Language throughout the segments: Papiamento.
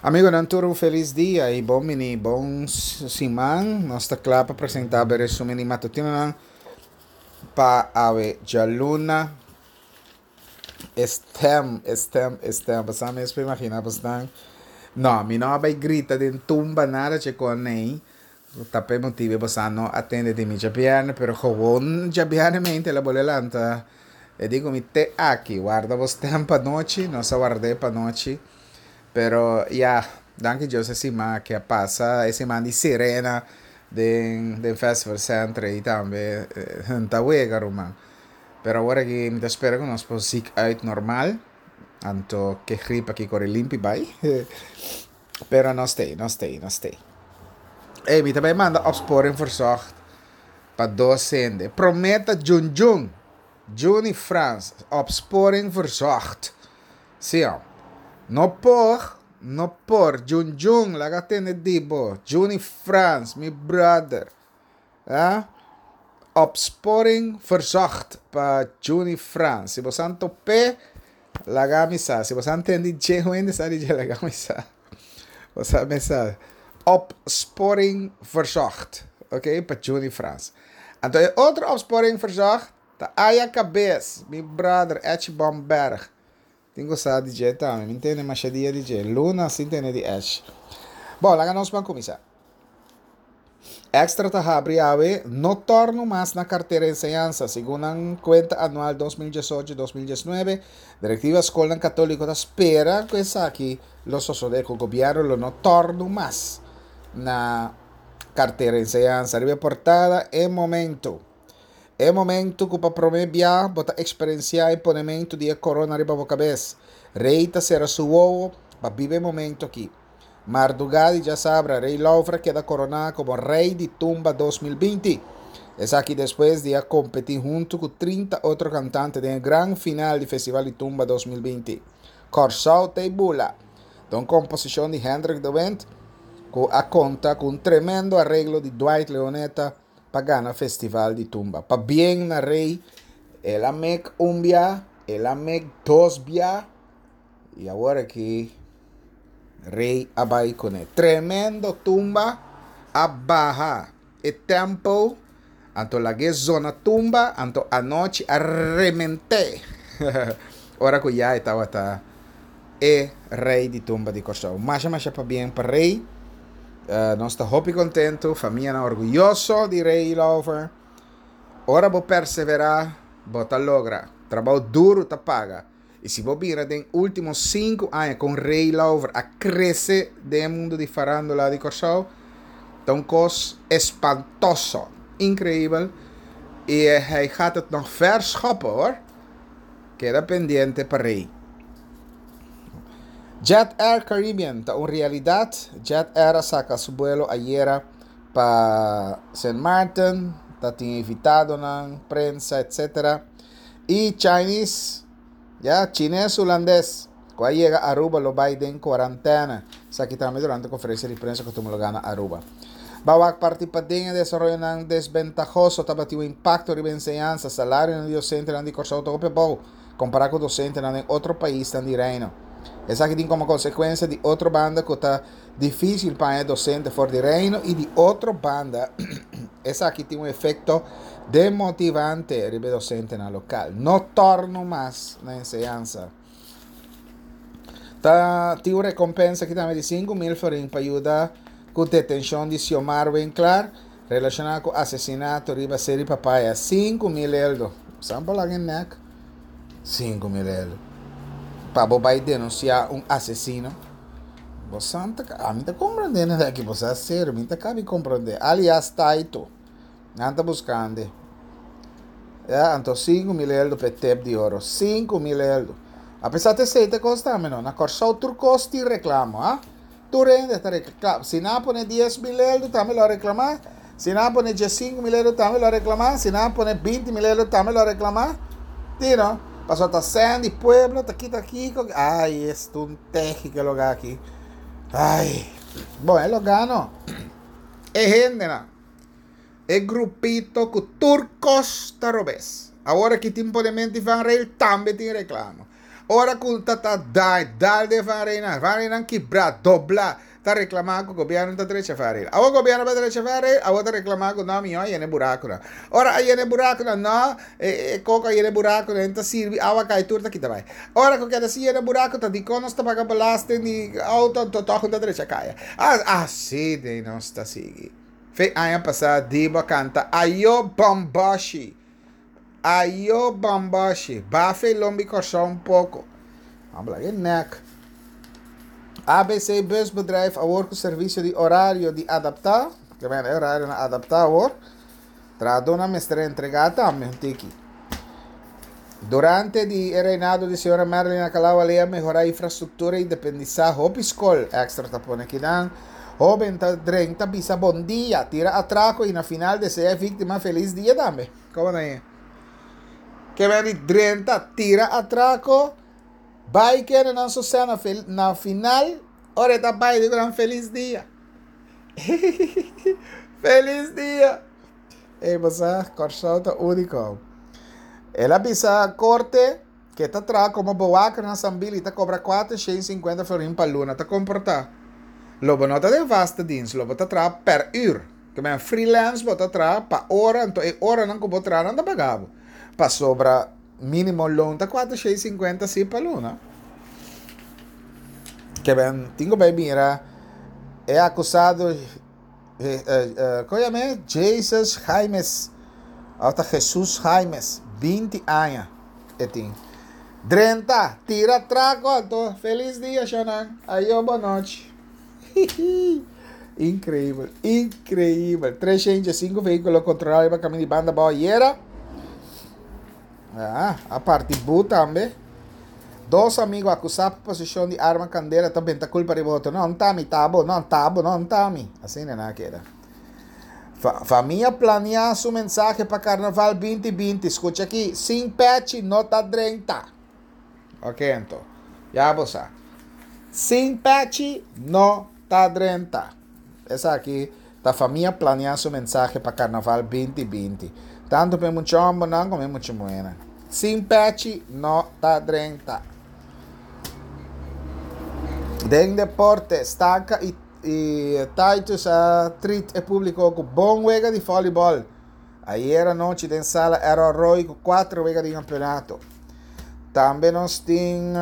Amigonan tur un felis dia y bon bini bon siman. Nos ta kla pa presenta bo e resumen di matutinonan pa awe djaluna. E stem, e stem, e stem. Bo sa mes por imagina bosnan. No, mi no a bay grita den tumba nada che con ney. Ta p'e motibu bo sa no a tende di mi djabièrnè, pero gewoon djabièrnè mente el a bolbe lanta. E di ku mi te aki, warda bo stèm pa nochi, nos a ward'é pa nochi. Pero ya, danki Dios e siman aki a pasa, e siman di sirena den den Festival Center ei tambe ta wega ruman. Pero awor aki mi ta spera ku nos por zik uit normal, anto ke grip aki kore limpi bai. Pero nos t'ei, nos t'ei, nos t'ei. Ey, mi ta bai manda opsporing verzocht pa dos hende. Promé ta Jun Jun, Juni Frans, opsporing verzocht. Sí, hom. No por, no por, Jun Jun, laga tende di bo. Juni Frans, mi brother. Ah, opsporing verzocht pa Juni Frans. Si bo san top'é, laga mi sa. Si bo san tende dje, un hende sa di dje, laga mi sa. Bo sa mi sa. Opsporing verzocht, ok, pa Juni Frans. Anto e otro opsporing verzocht ta Aya Cabez, mi brother Etchie Bomberg. Tin ku sa di dje tambe. Mi tende masha dia di dje. Luna sin tende di Etchie. Bon, laga nos ban kuminsá. Extra ta habri awe no torno mas na kartera enseñansa. Segun nan kuenta anual 2018, 2019, direktiva skolnan katóliko ta spera ku esaki lo sosodé, ku gobièrnu lo no torno mas na kartera enseñansa. Riba e portada e momento. E momento ku pa promé bia bo ta eksperensiá e ponementu di e korona riba bo kabes. Rei ta sera su wowo pa biba e momento aki. Mardugá di djasabra, Rey Lauffer a keda koroná komo Rey di Tumba 2020. Esaki despues di a kompetí huntu ku 30 otro kantante den e gran final di Festival di Tumba 2020. Kòrsou t'ei bula! Ta un komposishon di Hendrik de Windt ku a konta ku un tremendo areglo di Dwight Leoneta pa gana Festival di Tumba. Pabien na Rey, el a mek un bia, el a mek dos bia i awor aki Rey a bai kuné. Tremendo tumba a baha e tempo, anto lag'é zona tumba, anto anochi a rement'é. Ora ku ya e tabata e rey di tumba di Kòrsou. Masha masha pabien pa Rey. Nos ta hopi kontentu, famianan orguyoso di Rey Lauffer. Ora bo perseverá, bo ta logra. Trabou duru ta paga. I si bo bira den último sinku aña kon Ray Lauver a krese den e mundu di farándula di Kòrsou, ta un kos espantoso, inkreibel, i hij gaat het nog ver schoppen hoor. Keda pendiente pa Ray. Jet Air Caribbean ta un realidat. Jet Air a saka su buelo ayera pa Sint Maarten, ta tin invitadonan, prensa, etc. I Chinese, ya, Chines Hulandes, ku a yega Aruba lo bai den kuarantena. Esaki tambe durante konferensia di prensa ku tuma lugá na Aruba. Ba wak parti paden e desaroyonan desbentahoso tabatin un impakto riba enseñansa. Salarionan di dosentenan di Kòrsou ta hopi abou kompará ku dosentenan den otro paisnan di Reino. Esaki tin komo konsekuensia di otro banda ku ta difísil pa haña dosente for di Reino i di otro banda esaki tin un efekto demotivante riba e dosentenan lokal. No tòrnu mas na enseñansa. Ta tin un rekompensa aki tambe di 5000 florin pa yuda ku detenshon di Xiomar Winklaar relashoná ku asesinato riba Seri Papaya. 5000 eldo. San por laga e nek. 5000 eldo. Pa bo bai denunsiá un asesino. Bo san ta, ami ta komprendé nan aki, bo sa serio, mi ta kabi komprendé. Alias Taito, nan ta buskande. Ya, anto 5000 eldo pa e tep di oro. 5000 eldo. Apesar ta esei ta kos tambe no. Na Kòrsou tur kos tin reklamo, ha. Tur hende ta reklamá. Si nan a pone 10,000 eldo tambe lo a reklamá. Si nan a pone 15,000 eldo tambe lo a reklamá. Si nan a pone 20,000 eldo tambe lo a reklamá. Ti no? Pasobra ta sèn di pueblo ta kita kiko. Ai, esto un tehi ke lugá aki. Ai. Bon, e lugá no. E hendenan. E grupito ku tur kos ta robes. Awor aki tin ponemento di vangrail tambe tin reklamo. Ora ku ta ta dai dal den vanreinan, vanreinan kibrá, doblá, ta reklamá ku gobièrnu ta drecha vanrein. Awor gobièrnu bai drecha vanrein, awor ta reklamá ku no mihó a yena e burakunan. Ora a yena e burakunan, no, e koko a yena e burakunan, e ta sirbi, awa kai tur ta kita bai. Ora ku keda sin yena buraku ta dikon nos ta paga belasting di outo anto tòg no ta drecha kaya. Asina nos ta sigui. Fe aña pasá Dibo a kanta Ayo Bòmbòshi! Ayo Bòmbòshi! Bafa e lombi Kòrsou un poko. Habla e nèk. ABC Busbedrijf awor ku servisio di orario di adaptá, ke men e orarionan adaptá awor. Trahadónan mester entregá tambe un tiki. Durante di e reinado di señora Marilyn Alcalá Wallé a mehorá infrastruktura i independisá hopi skol. Extra ta pone kinan. Hóben ta drenta bisa bon dia, tira atrako i na final deseá e víktima felis dia tambe. Komo ta e? Ke men di drenta, tira atrako, bai kere nan su sena na final ora e ta bai di ku nan felis dia. Felis dia! Ey bo sa, Kòrsou ta úniko. El a bisa korte ku e ta traha komo bewaker na Sambil i ta kobra 450 florin pa luna. Ta komportá. Lo bo no ta den vaste dienst, lo bo ta traha per ür. Ke men freelance bo ta traha pa ora, anto e oranan ku bo traha nan ta paga bo. Pasobra mínimo loon ta 450 si pa luna. Ke men tin ku bai mira e akusado kon yama e? Jesus Jaimes òf ta Jesus Jaimes 20 aña e tin. Drenta tira trako anto felis dia shonnan ayo bonochi. Inkreibel inkreibel 305 vehíkulo kontrolá riba kaminda di banda abou ayera. Ah, a parti bu tambe. Dos amigo akusá pa poseshon di arma kandela ta benta kulpa riba otro. No, n'ta mi, ta bo, no, n'ta bo, no, n'ta mi. Asina nan a keda. Fa, famia planea su mensahe pa Karnaval 2020. Skucha aki, sin pechi no ta drenta. Ok, anto. Ya bo sa. Sin pechi no ta drenta. Esaki ta famia planea su mensahe pa Karnaval 2020. Tantu pa e mucha hombernan komo e mucha muhernan. Sin pechi no ta drenta. Den deporte, Stanka i Titus a trit e publiko ku bon wega di volleyball. Ayer anochi den sala Errol Roy ku 4 wega di kampeonato. Tambe nos tin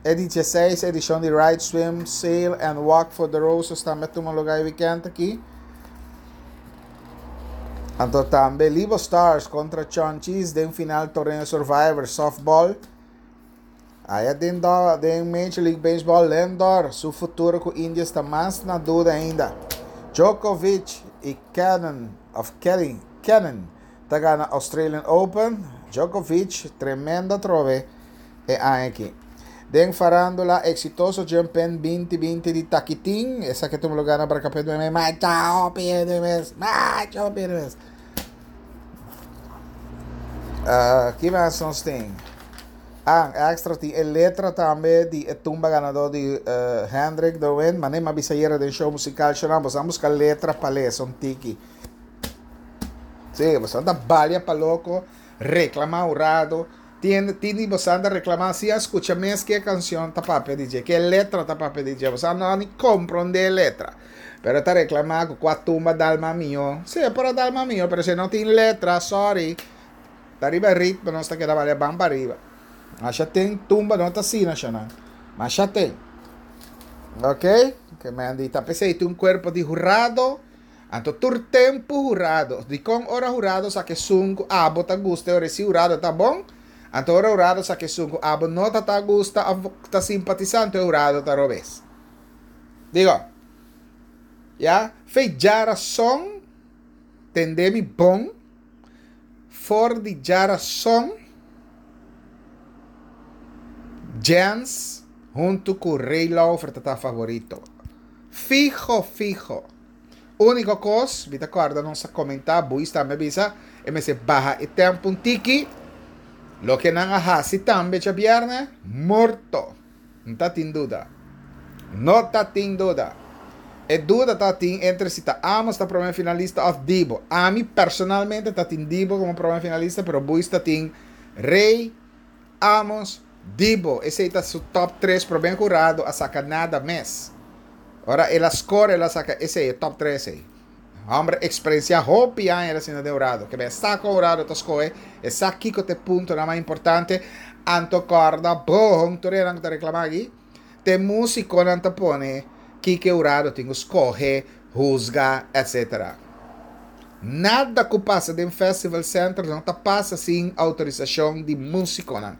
e di 16 edishon di Ride, Swim, Sail and Walk for the Roses tambe a tuma lugar e weekend aki. Anto tambe Libo Stars kontra Chonchis den final torneo Survivor Softball. Aya den den Major League Baseball Lindor su futuro ku Indians ta mas na duda ainda. Djokovic i Kenin of Kelly Kenin ta gana Australian Open. Djokovic tremendo atrobe e aña aki. Den farandula exitoso Jump-In 2020 di Takitin, esaki a tuma lugar na Barcapet meme macha hopi hende mes, macha hopi hende mes. Uh, ki mas nos tin? Ah, extra tin e letra tambe di e tumba ganador di uh, Hendrik de Wind. Mane ma bisa yera den show musical show bosan busca letra pa lesa un tiki. Sí, bosan ta balia pa loco, reclama hurado. Tin tin di bosan ta reclama si a scucha mes ke cancion ta papia di dje, ke letra ta papia di dje. Bosan no ni compronde e letra. Pero ta reclama cu cua tumba dalma mio. Sí, e por a dalma mio, pero si no tin letra, sorry. Ta riba e ritmo nos ta keda balia ban pa riba. Masha ten tumba no ta asina shonan. Masha ten. Ok? Ke men di ta pesey tin un cuerpo di hurado. Anto tur tempo hurado. Dikon ora hurado sa ke esun ku abo ta gusta e ora si hurado ta bon. Anto ora hurado sa ke esun ku abo no ta ta gusta of ta simpatisa anto e hurado ta robes. Digo. Ya? Fe djarason tende mi bon. For di djarason, Jens huntu ku Ray Lauffer ta ta favorito. Fiho fiho. Uniko kos, mi ta kòrda nos a komentá, Buis tambe a bisa, e mester baha e tèmpo un tiki. Loke nan a hasi tambe djabièrnè, morto. N ta tin duda. No ta tin duda. E duda ta tin entre si ta Amos ta prome finalista of Dibo. Ami personalmente ta tin Dibo como prome finalista, pero Buis ta tin Rey, Amos, Di bo, esei ta su top 3 promé hurado a saka nada mes. Ora el a score el a saka esei, e top 3 ei. Homber experiencia hopi aña el a sinta den hurado. Ke be sa kon hurado ta skohe, e sa kiko ta e puntonan mas importante. Anto kòrda bon tur esnan ku ta reklamá aki, te músikonan ta pone kiko e hurado tin ku skohe, husga, etc. Nada ku pasa den Festival Center no ta pasa sin outorisashon di músikonan.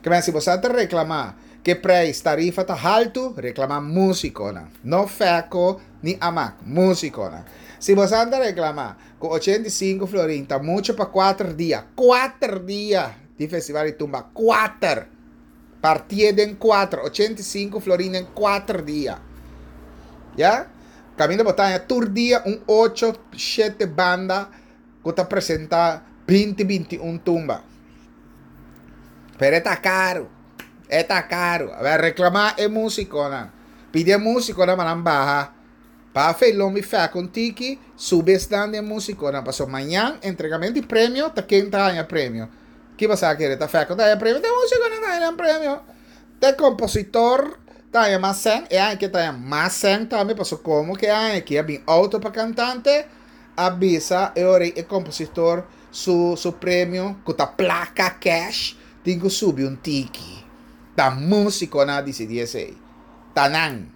Ke men si bo sa ta reklamá ke preis, tarifa ta haltu, reklamá músikonan, no Fèko ni Amak, músikonan. Si bo sa ta reklamá ku 85 florin ta muchu pa kuater dia, kuater dia di Festival di Tumba, kuater! Partié den kuater, 85 florin den kuater dia. Ya? Kaminda bo ta haña tur dia un ocho, shete banda ku ta presentá 20, 21 tumba. Pero e ta karu. E ta karu. A ber, reklamá e músikonan. Pidi e músikonan pa nan baha. Pa fe lombi fè ku un tiki, subi esnan di e músikonan. Pasobra mañan entregamentu di premio ta ken ta haña premio. Ki bo sa kere? Ta fè ku ta haña premio? Ta e músikonan ta haña nan premio. Ta e kompositor ta haña mas sèn. E aña ke ta haña mas sèn tambe pasobra komo ku e aña aki a bin outo pa kantante, a bisa e ora ei e kompositor su su premio ku ta plaka cash tin ku subi un tiki. Ta músikonan a disidí esei. Ta nan.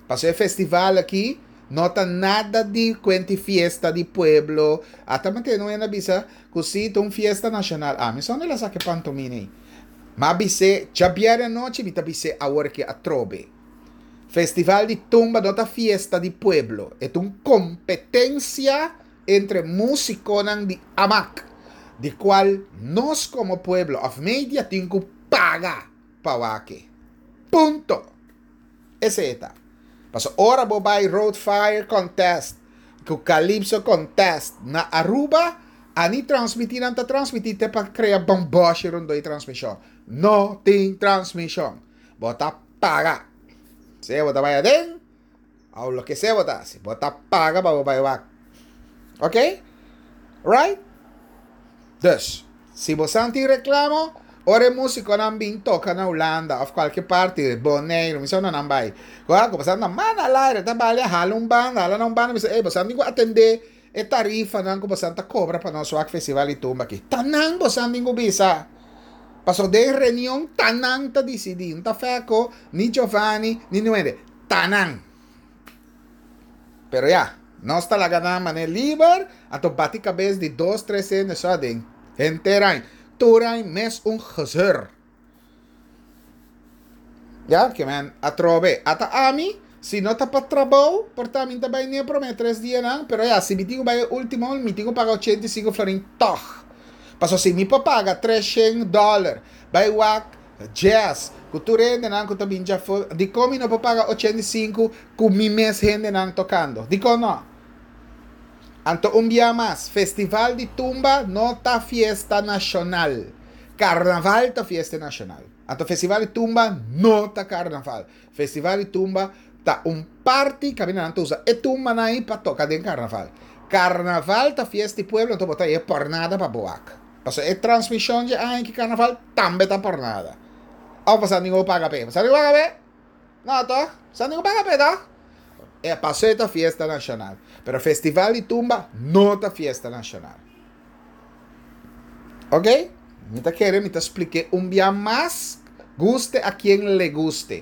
Pasobra e festival aki no ta nada di cuenti fiesta di pueblo. Ata mantene un hende a bisa cu si ta un fiesta nacional. Ami so no la saca e pantomina ey. Ma bis'é djabièrnè anochi mi ta bis'é awor aki atrobe. Festival di tumba no ta fiesta di pueblo. E ta un competencia entre musiconan di amak. Di cual nos como pueblo of media tin cu paga pa wak e. Punto! Esei ta. Pasobra ora bo bai Road Fire Contest ku Calypso Contest na Aruba, a ni transmití nan ta transmití te pa krea bòmbòshi rondó e transmishon. No tin transmishon. Bo ta paga. Sea bo ta bai aden òf loke sea bo ta hasi, bo ta paga pa bo bai wak. Ok? Right? Dus, si bo san tin reklamo, ora e musikonan bin toka na Hulanda òf kualke parti, Boneiru, mi sa unda nan bai, ku a ku bo san ta manda al aire, ta bali a hala un banda, hala na un banda, mi sa, ey, bo san tin ku atendé e tarifanan ku bo san ta kobra pa nos wak festival di tumba aki. Ta nan bo san tin ku bisa. Pasobra den reunion ta nan ta disidí, no ta Fèko, ni Giovanni, ni niun hende. Ta nan. Pero ya, nos ta laga nan manera liber, anto bati kabes di dos, tres hende so aden. Henter ain, tur ain mes un gezeur. Ya, ke men atrobe. Ata ami, si no ta pa trabou, por ta mi ta bai ni e prome tres dianan, pero ya, si mi tin ku bai e ultimo, mi tin ku paga 85 florin tog. Pasobra si mi por paga 300 dollar, bai wak Jazz, ku tur hendenan ku ta bin djafó, dikon mi no por paga 85 ku mi mes hendenan tokando? Dikon no? Anto un bia mas, Festival di Tumba no ta fiesta nashonal. Karnaval ta fiesta nashonal. Anto Festival di Tumba no ta karnaval. Festival di Tumba ta un parti kaminda nan ta usa e tumbanan ei pa toka den karnaval. Karnaval ta fiesta di pueblo, anto bo ta e pòrnada pa bo wak. Pasobra e transmishon dje aña ki karnaval tambe ta por nada. Of bo sa ningun paga p'e? Bo sa ningun paga p'e? No tòg? Bo sa ningun paga p'e tòg? E pasobra e ta fiesta nashonal. Pero festival di tumba no ta fiesta nashonal. Ok? Mi ta kere mi ta splik'é un bia mas, guste a kien le guste.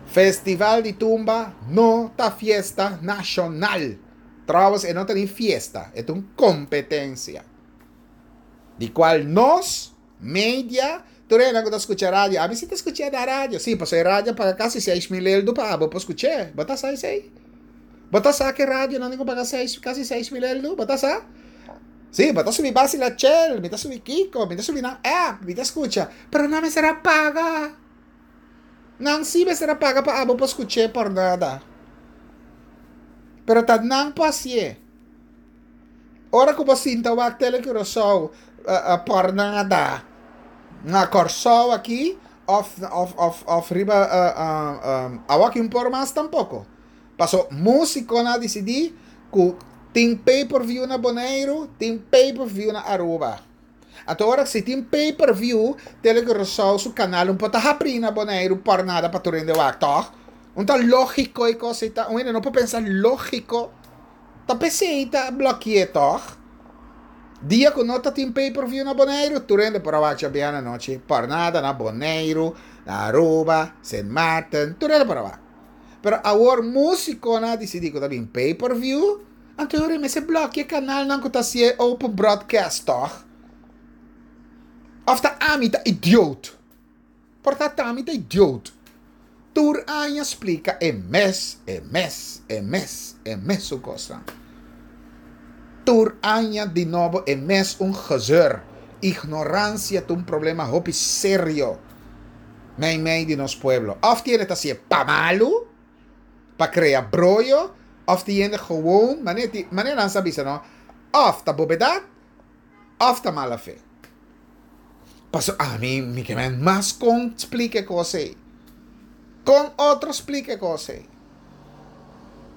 Festival di tumba no ta fiesta nashonal. Trouwens e no ta ni fiesta, e ta un competencia. Di cual nos, media, tur hende cu ta scucha radio, ami si ta scucha na radio, si, pasobra e radio a paga casi 6000 eldo pa abo por scuch'e, bo ta sa esey? Bo ta sa cu e radio nan tin cu paga seis, casi 6000 eldo, bo ta sa? Si, bo ta subi Basi La Chel, mi ta subi Kiko, mi ta subi nan app, mi ta scucha, pero nan mester a paga. Nan si mester a paga pa abo por scuch'é por nada. Pero ta nan por hacié. Ora cu bo sinta wak Tele Curaçao por nada na Corsou aki of of of of riba awor aki un por mas tampoco. Paso musiconan a dicidi cu tin pay per view na Boneiru, tin pay per view na Aruba. Anto ora si tin pay per view, Tele Curaçao su kanal un por ta habrí na Boneiru pòrnada pa tur hende wak, tòg? Un ta lógiko e kos ei ta, un hende no por pensa lógiko. Ta p'esei ta blòkié tòg? Dia ku no ta tin pay per view na Boneiru, tur hende por a wak djabièrnè anochi pòrnada na Boneiru, na Aruba, Sint Maarten, tur hende por a wak. Pero awor músikonan a disidí ku ta bin pay per view, anto e ora ei mester blòkia e kanalnan ku ta hasié open broadcast tòg? Òf ta ami ta idioot? Por ta ta mi ta idioot. Tur aña splika e mes, e mes, e mes, e mesun kosnan. Tur aña di nobo e mes un gezeur. Ignoransia ta un problema hopi serio meimei di nos pueblo. Òf tiene ta hasié pa malu, pa krea broyo, òf tin hende gewoon, manera nan sa bisa no, òf ta bobedat, òf ta mala fe. Paso ami mi ke men mas kon splika e kos ei. Kon otro splika e kos ei.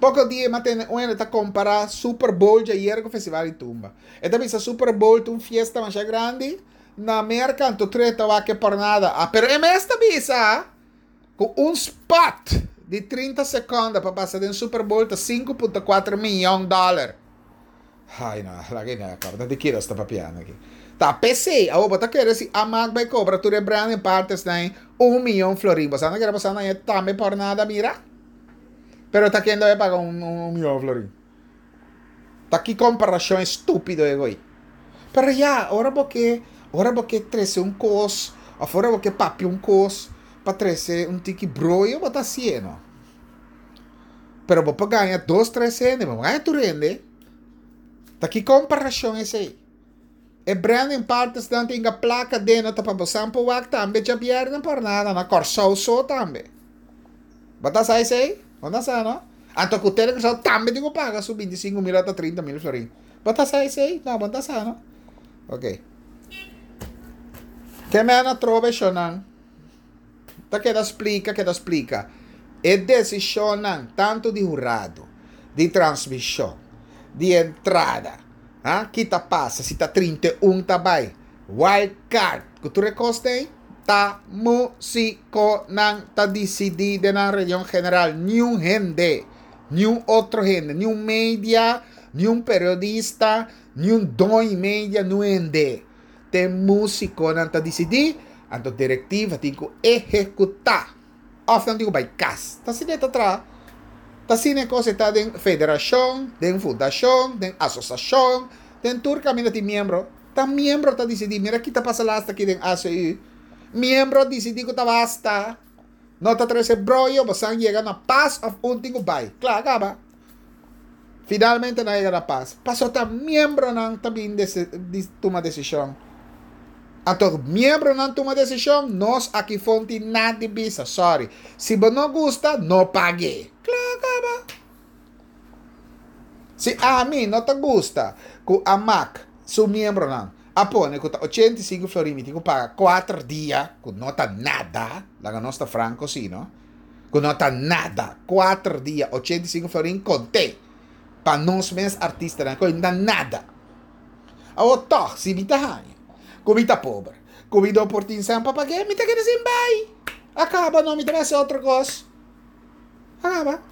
Poko dia mi a tende un hende ta kompará Super Bowl djayer ku Festival di Tumba. E ta bisa Super Bowl ta un fiesta masha grandi na Merka anto tur e ta wak e pornada. Ah, pero e mes ta bisa ku un spot di 30 sekonda pa pasa den Super Bowl ta 5.4 miyon dòler. Ai no, laga e nèk kaba. Ta di kiko nos ta papiando aki? Ta p'esei, awor bo ta kere si Amak bai kobra tur e branding partners nan ei un miyon florin. Bo sa no kere boso nan e tambe por nada mira? Pero ta ken debe paga un un miyon florin? Ta ki komparashon estúpido e goi. Pero ya, ora bo ke, ora bo ke trese un kos, òf ora bo ke papia un kos pa trese un tiki broyo, bo ta hasié no. Pero bo por gaña dos, tres hende, bo no gaña tur hende. Ta ki komparashon esei? E branding partnersnan tin ka plaka den no ta pa bo san por wak tambe djabièrnè por nada na Kòrsou so tambe. Bo ta sa esei? Bo no sa no? Anto ku Tele Kòrsou tambe tin ku paga su 25 mil ota 30 mil florin. Bo ta sa esei? No, bo no ta sa no. Ok. Ke men atrobe shownan? Ta keda splika, keda splika. E desishonnan tantu di hurado, di transmishon, di entrada, ha, ki ta pasa si ta 31 ta bai, wild card, ku tur e kos ei, ta musikonan ta disidí den nan reunion general. Niun hende, niun otro hende, niun media, niun periodista, niun doño media, niun hende. Te musikonan ta disidí, anto direktiva tin ku ehekutá. Òf nan tin ku bai kas. Ta asina e ta traha. Ta asina e kos e ta den federashon, den fundashon, den asosashon, den tur kaminda tin miembro. Ta miembro ta disidí. Mira ki ta pasa lasta aki den ACU. Miembro a disidí ku ta basta. No ta trese broyo, bosan yega na pas òf un tin ku bai. Kla, kaba. Finalmente nan a yega na pas. Pasobra ta miembronan ta bin di tuma desishon. Anto miembronan tuma desishon, nos aki fon tin nada di bisa. Sorry. Si bo no gusta, no pag'é. Kla kaba. Si ami no ta gusta ku Amak su miembronan a pone ku ta 85 florin mi tin ku paga kuater dia, ku no ta nada, laga nos ta franko si no. Ku no ta nada. Kuater dia, 85 florin konté. Pa nos mes artistanan, ku no ta nada. Awor tòg, si mi ta haña ku mi ta pober, ku mi no por tin sèn pa pag'é, mi ta keda sin bai. A kaba no, mi ta bai hasi otro kos. A kaba.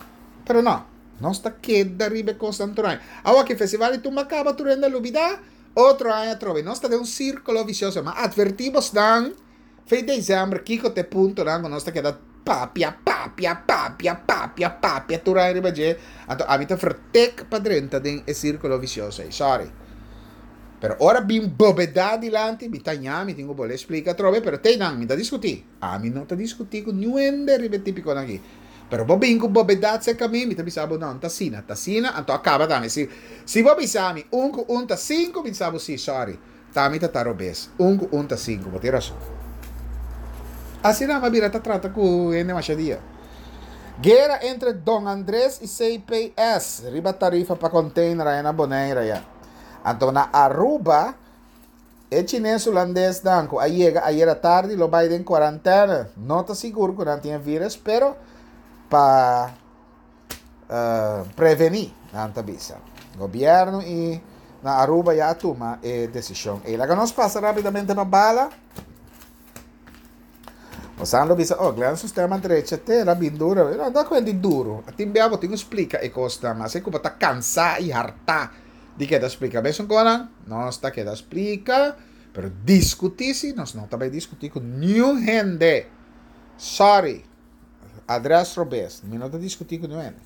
Pero no, nos ta keda riba e kosnan tur aña. Awor ki festival di tumba kaba, tur hende a lubidá, otro aña atrobe. Nos ta den un sírkulo visioso. Mi a atvertí bosnan. Fin december kiko ta e puntonan ku nos ta keda papia, papia, papia, papia, papia tur aña riba dje, anto ami ta vertek pa drenta den e sirkulo visioso ei, sorry. Pero ora bin bobedat dilanti, mi ta ña, mi tin ku bolbe splika atrobe, pero tei nan, mi ta diskutí. Ami no ta diskutí ku niun hende riba e tipikonan aki. Pero bo bin ku bobedat serka mi, mi ta bisa bo no, no ta asina, ta asina, anto a kaba tambe. Si, si bo bisa mi un ku un ta sinku, mi ta sa bo si, sorry. Tami ta ta robes. Un ku un ta sinku. Bo tin rason. Asina mi a bira ta trata ku hende masha dia. Guera entre Don Andres i CPS riba tarifa pa container aya na Bonaire aya. Anto na Aruba e chines hulandesnan ku a yega ayera tardi lo bai den cuarantena. No ta sigur ku nan tin e virus pero pa prevení, nan ta bisa. Gobierno i Na Aruba ya a tuma e desishon ei. Laga nos pasa rápidamente pa bala. Bosan lo bisa, oh, Glenn su stem a drecha te, el a bin duro. No ta kuenti duro. Tin bia bo tin ku splika e kosnan, mas e ku bo ta kansá i hartá di keda splika. Mesun konan, nos ta keda splika, pero diskutí si nos no ta bai diskutí ku niun hende. Sorry. Adres robes. Mi no ta diskutí ku niun hende.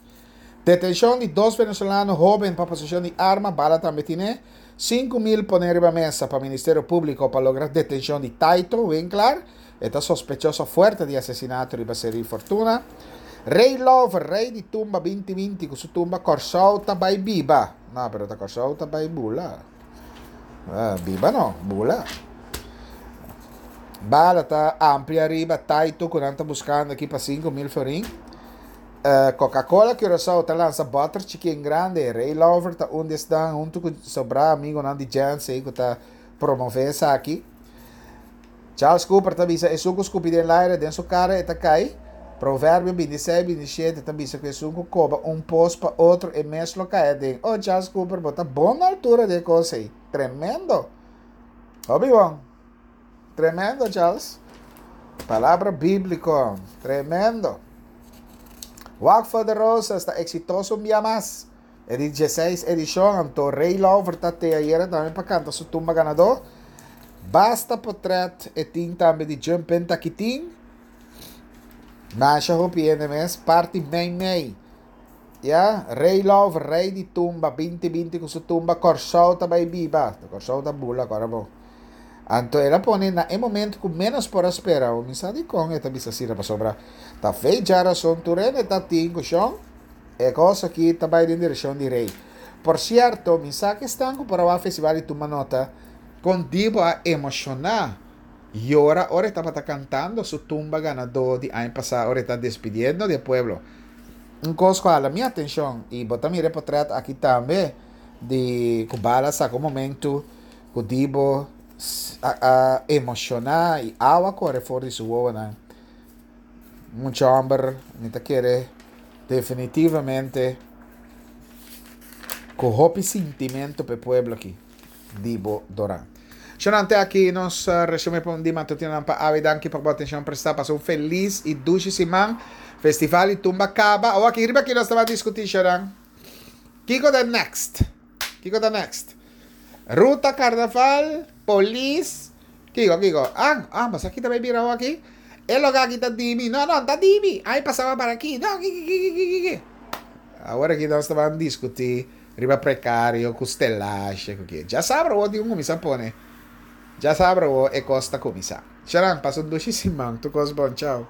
Detenshon di dos venezolano hóben pa poseshon di arma, bala tambe tine. 5000 pone riba mesa pa Ministerio Públiko pa logra detenshon di Taito Winklaar. E ta sospechoso fuerte di asesinato riba Seri Fortuna. Ray Lover, rei di tumba 2020 ku su tumba Kòrsou ta bai biba. No, pero ta Kòrsou ta bai bula. Ah, biba no, bula. Bala ta amplia riba Taito ku nan ta buskando aki pa 5000 florin. Coca-Cola Curaçao ta lansa bòter chikí en grande. Ray Lover ta un di esnan huntu ku sobrá amigonan di Jansen ku ta promové esaki. Charles Cooper ta bisa esun ku skupi den laire den su kara e ta kai. Proverbio 26, 27 ta bisa ku esun ku koba un pos pa otro e mes lo kai aden. Oh Charles Cooper bo ta bon na altura di e kos ei. Tremendo. Hopi bon. Tremendo Charles. Palabra bíblico. Tremendo. Walk for the Roses ta exitoso un bia mas. E di 16 edishon, anto Ray Lover ta te ayera tambe pa kanta su tumba ganadó. Basta potret e tin tambe di Jumpin Takitin. Masha hopi hende mes, parti mei mei. Ya, Ray Lover, rei di tumba, 2020 ku su tumba Kòrsou ta bai biba. Kòrsou ta bula kòrda bo. Anto el a pone na e momento ku ménos por a spera. Mi sa dikon e ta bisa asina pasobra ta fe djarason tur hende ta tin ku shon. E kos aki ta bai den direkshon di rei. Por sierto, mi sa ku esnan ku por a wak festival di tuma nota kon Dibo a emoshoná yora ora e tabata kantando su tumba ganadó di aña pasá ora e ta despidiendo di e pueblo. Un kos ku a hala mi atenshon i bo ta mira e potrèt aki tambe di ku bala saka un momentu ku Dibo a a emoshoná i awa kore for di su wowonan. Mucha hòmber mi ta kere definitivamente ku hopi sintimentu pa e pueblo aki, Dibo Doran. Shonnan te aki nos resume pa un di matutinonan pa awe. Danki pa bo atenshon prestá. Pasa un felis i dushi siman. Festival di tumba kaba. Awor aki riba aki nos ta bai diskutí shonnan. Kiko ta next? Kiko ta next? Ruta karnaval, polis, kiko kiko? Ah, ah, mas aki ta bai bira awor aki. E loke aki ta dimi. No, no, ta dimi. Ai pasaba para aki. No, kiki kiki kiki kiki. Awor aki nos ta ban diskutí riba prekario ku stelahe ku ke. Djasabra awor tin ku kuminsá pone. Djasabra awor e kos ta kuminsá. Sharan, pasa un dushi siman. Tur kos bon. Chao.